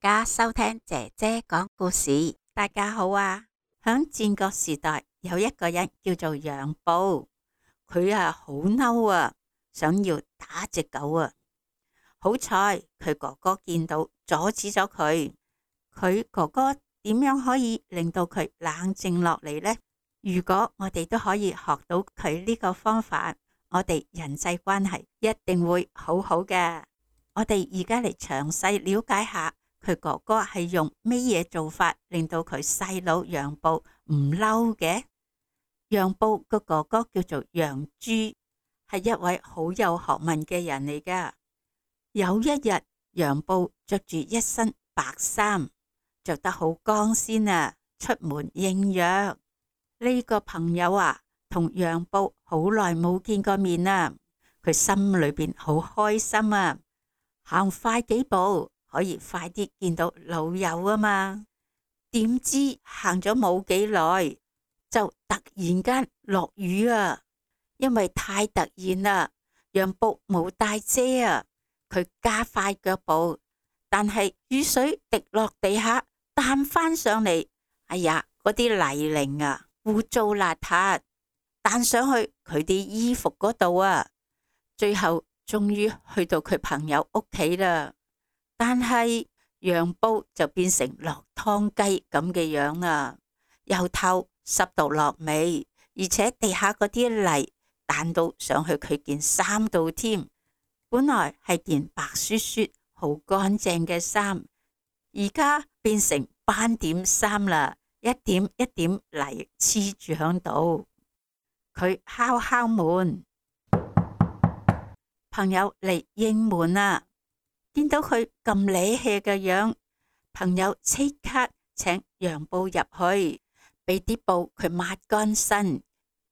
家收聽姐姐講故事。大家好啊！響戰國時代有一個人叫做楊布，佢好嬲啊，想要打隻狗啊。好彩佢哥哥見到阻止咗佢。佢哥哥點樣可以令到佢冷靜落嚟呢？如果我哋都可以學到佢呢個方法，我哋人際關係一定會好好嘅。我哋而家嚟詳細了解下佢哥哥係用咩嘢做法令到佢細佬楊布唔嬲嘅。楊布個哥哥叫做楊朱，係一位好有學問嘅人嚟噶。有一日，楊布着住一身白衫，着得好光鮮啊，出門應約。呢個朋友同楊布好耐冇見過面啦，佢心裏邊好開心啊，行快幾步可以快啲見到老友啊嘛。點知行咗冇幾耐就突然間落雨啊，因為太突然啦，楊布冇帶遮啊，佢加快腳步，但係雨水滴落地下彈翻上嚟，哎呀，嗰啲泥濘污糟邋遢，彈上去佢啲衣服嗰度啊。最後終於去到佢朋友屋企啦，但係楊布就變成落湯雞咁嘅樣啦，由頭濕到落尾，而且地下嗰啲泥彈到上去佢件衫度添。本來係件白雪雪好乾淨嘅衫，而家變成斑點衫啦，一點一點泥黐住響度。佢敲敲門，朋友嚟應門啦。見到佢咁瀨氣嘅樣，朋友即刻請楊布入去，俾啲布佢抹乾身，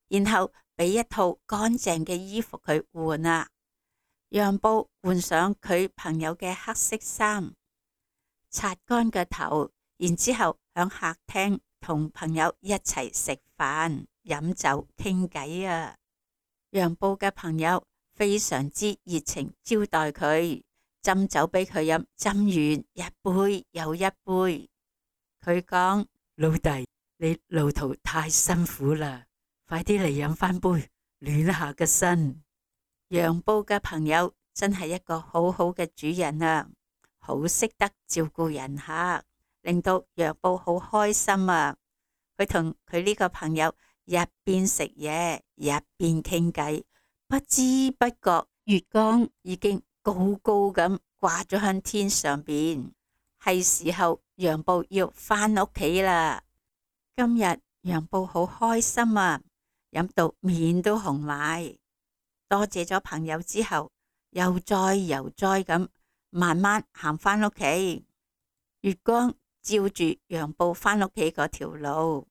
然後俾一套乾淨嘅衣服佢換啊。楊布換上佢朋友嘅黑色衫，擦乾個頭，然之後響客廳同朋友一齊食飯、飲酒、傾偈啊。楊布嘅朋友非常之熱情招待佢，斟酒俾佢飲，斟完一杯又一杯。佢講：老弟，你路途太辛苦啦，快啲嚟飲翻杯，暖下個身。楊布嘅朋友真係一個好好嘅主人啊，好識得照顧人客，令到楊布好開心啊。佢同佢呢個朋友一邊食嘢一邊傾偈，不知不覺月光已經高高咁掛咗向天上邊，係時候楊布要翻屋企啦。今日楊布好開心啊，飲到面都紅埋。多謝咗朋友之後，悠哉悠哉咁慢慢行翻屋企。月光照住楊布翻屋企嗰條路，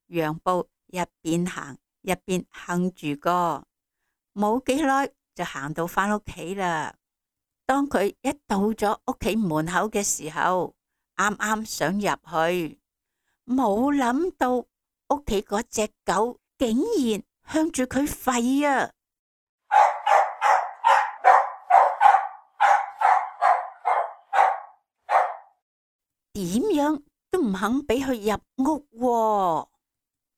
楊布一邊行一邊哼住歌，冇幾耐就行到翻屋企啦。當佢一到咗屋企門口嘅時候，啱啱想入去，冇諗到屋企嗰隻狗竟然向住佢吠啊！點樣都唔肯俾佢入屋喎。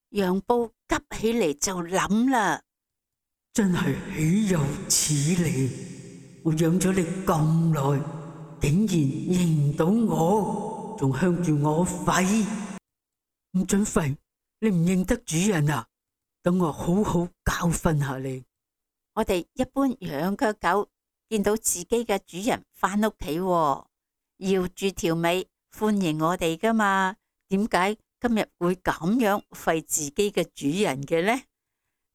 楊布急起嚟就諗啦，真係豈有此理！我養咗你咁耐，竟然認唔到我，仲向住我吠，唔准吠！你唔認得主人啊？等我好好教訓下你。我哋一般養嘅狗見到自己嘅主人翻屋企，搖住條尾歡迎我哋噶嘛？點解今日會咁樣吠自己嘅主人嘅呢？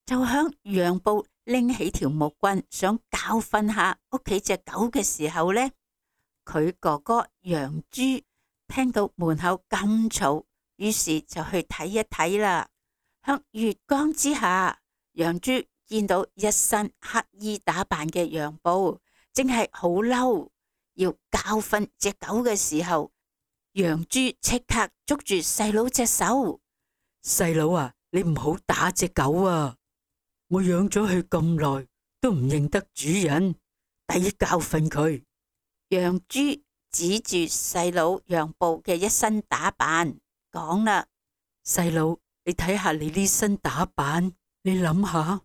就響楊布拎起條木棍想教訓下屋企隻狗嘅時候呢，佢哥哥楊朱聽到門口咁嘈，於是就去睇一睇啦。響月光之下，楊朱見到一身黑衣打扮嘅楊布，正係好嬲，要教訓隻狗嘅時候，楊朱即刻捉住細佬隻手。細佬啊，你唔好打隻狗啊！我養咗佢咁耐，都唔認得主人，抵教訓佢。楊朱指住細佬楊步嘅一身打扮，講啦：細佬，你睇下你呢身打扮，你諗下，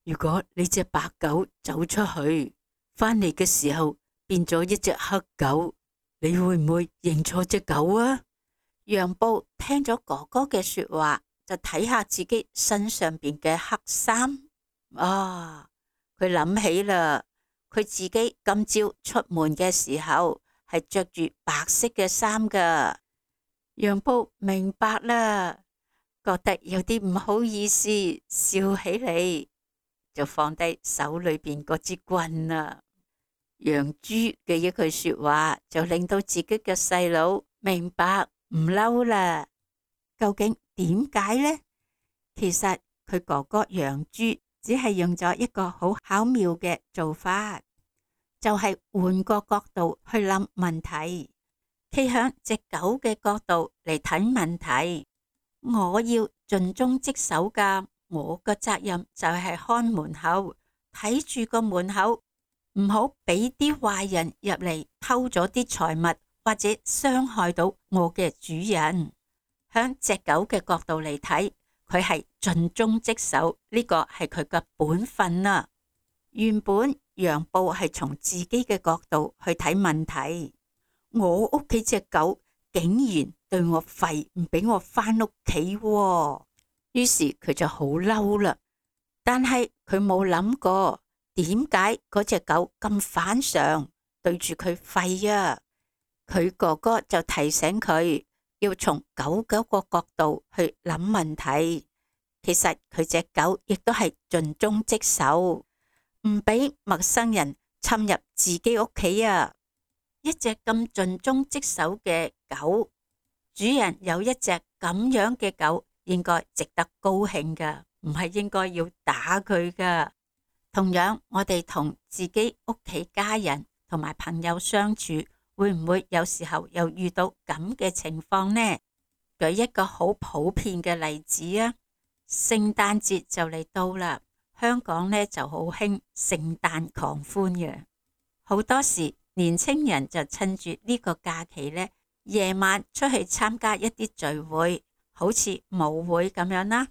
如果你隻白狗走出去，返嚟嘅時候變咗一隻黑狗，你會唔會認錯隻狗啊？楊步聽咗哥哥嘅說話，就睇下自己身上邊嘅黑衫，佢諗起啦，佢自己今朝出門嘅時候係着住白色嘅衫噶。楊步明白啦，覺得有啲唔好意思，笑起嚟，就放低手裏邊嗰支棍啦。楊朱嘅一句說話就令到自己嘅細佬明白唔嬲啦。究竟點解呢？其實佢哥哥楊朱只係用咗一個好巧妙嘅做法，就係換個角度去諗問題，企響隻狗嘅角度嚟睇問題。我要盡忠職守噶，我個責任就係看門口，睇住個門口，唔好俾啲壞人入嚟偷咗啲財物，或者傷害到我嘅主人。響隻狗嘅角度嚟睇，佢係盡忠職守，呢個係佢嘅本分啊。原本楊步係從自己嘅角度去睇問題，我屋企隻狗竟然對我吠，唔俾我返屋企，於是佢就好嬲啦。但係佢冇諗過，點解嗰隻狗咁反常，對住佢吠啊？佢哥哥就提醒佢要從狗個角度去諗問題。其實佢隻狗亦都係盡忠職守，唔俾陌生人侵入自己屋企啊！一隻咁盡忠職守嘅狗，主人有一隻咁樣嘅狗，應該值得高興噶，唔係應該要打佢噶。同樣，我哋同自己屋企家人同埋朋友相處，會唔會有時候又遇到咁嘅情況呢？舉一個好普遍嘅例子啊，聖誕節就嚟到啦，香港呢就好興聖誕狂歡嘅，好多時年青人就趁住呢個假期呢，夜晚出去參加一啲聚會，好似舞會咁樣啦，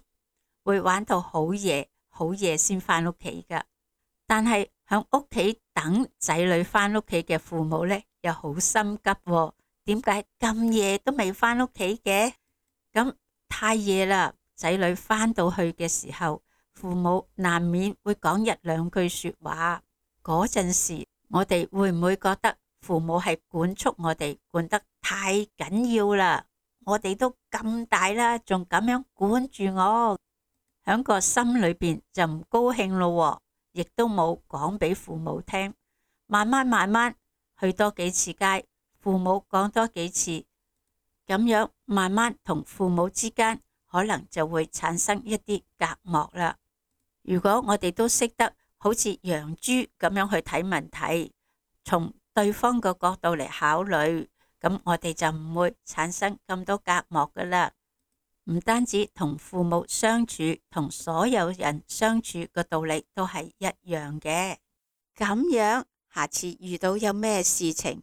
會玩到好夜先返屋企噶。但係響屋企等仔女返屋企嘅父母呢，又好心急喎，點解咁夜都未返屋企嘅？咁太夜啦，仔女返到去嘅時候，父母難免會講一兩句說話。嗰陣時，我哋會唔會覺得父母係管束我哋，管得太緊要啦？我哋都咁大啦，仲咁樣管住我，響個心裏邊就唔高興咯，亦都冇講俾父母聽。慢慢去多幾次街，父母講多幾次，咁樣慢慢同父母之間可能就會產生一啲隔膜啦。如果我哋都識得好似楊朱咁樣去睇問題，從對方個角度嚟考慮，咁我哋就唔會產生咁多隔膜噶啦。唔單止同父母相處，同所有人相處個道理都係一樣嘅。咁樣下次遇到有咩事情，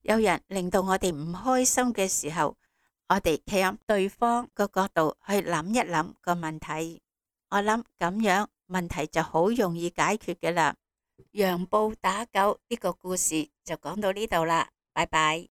有人令到我哋唔開心嘅時候，我哋企喺對方個角度去諗一諗個問題，我諗咁樣問題就好容易解決嘅啦。楊步打狗呢個故事就講到呢度啦，拜拜。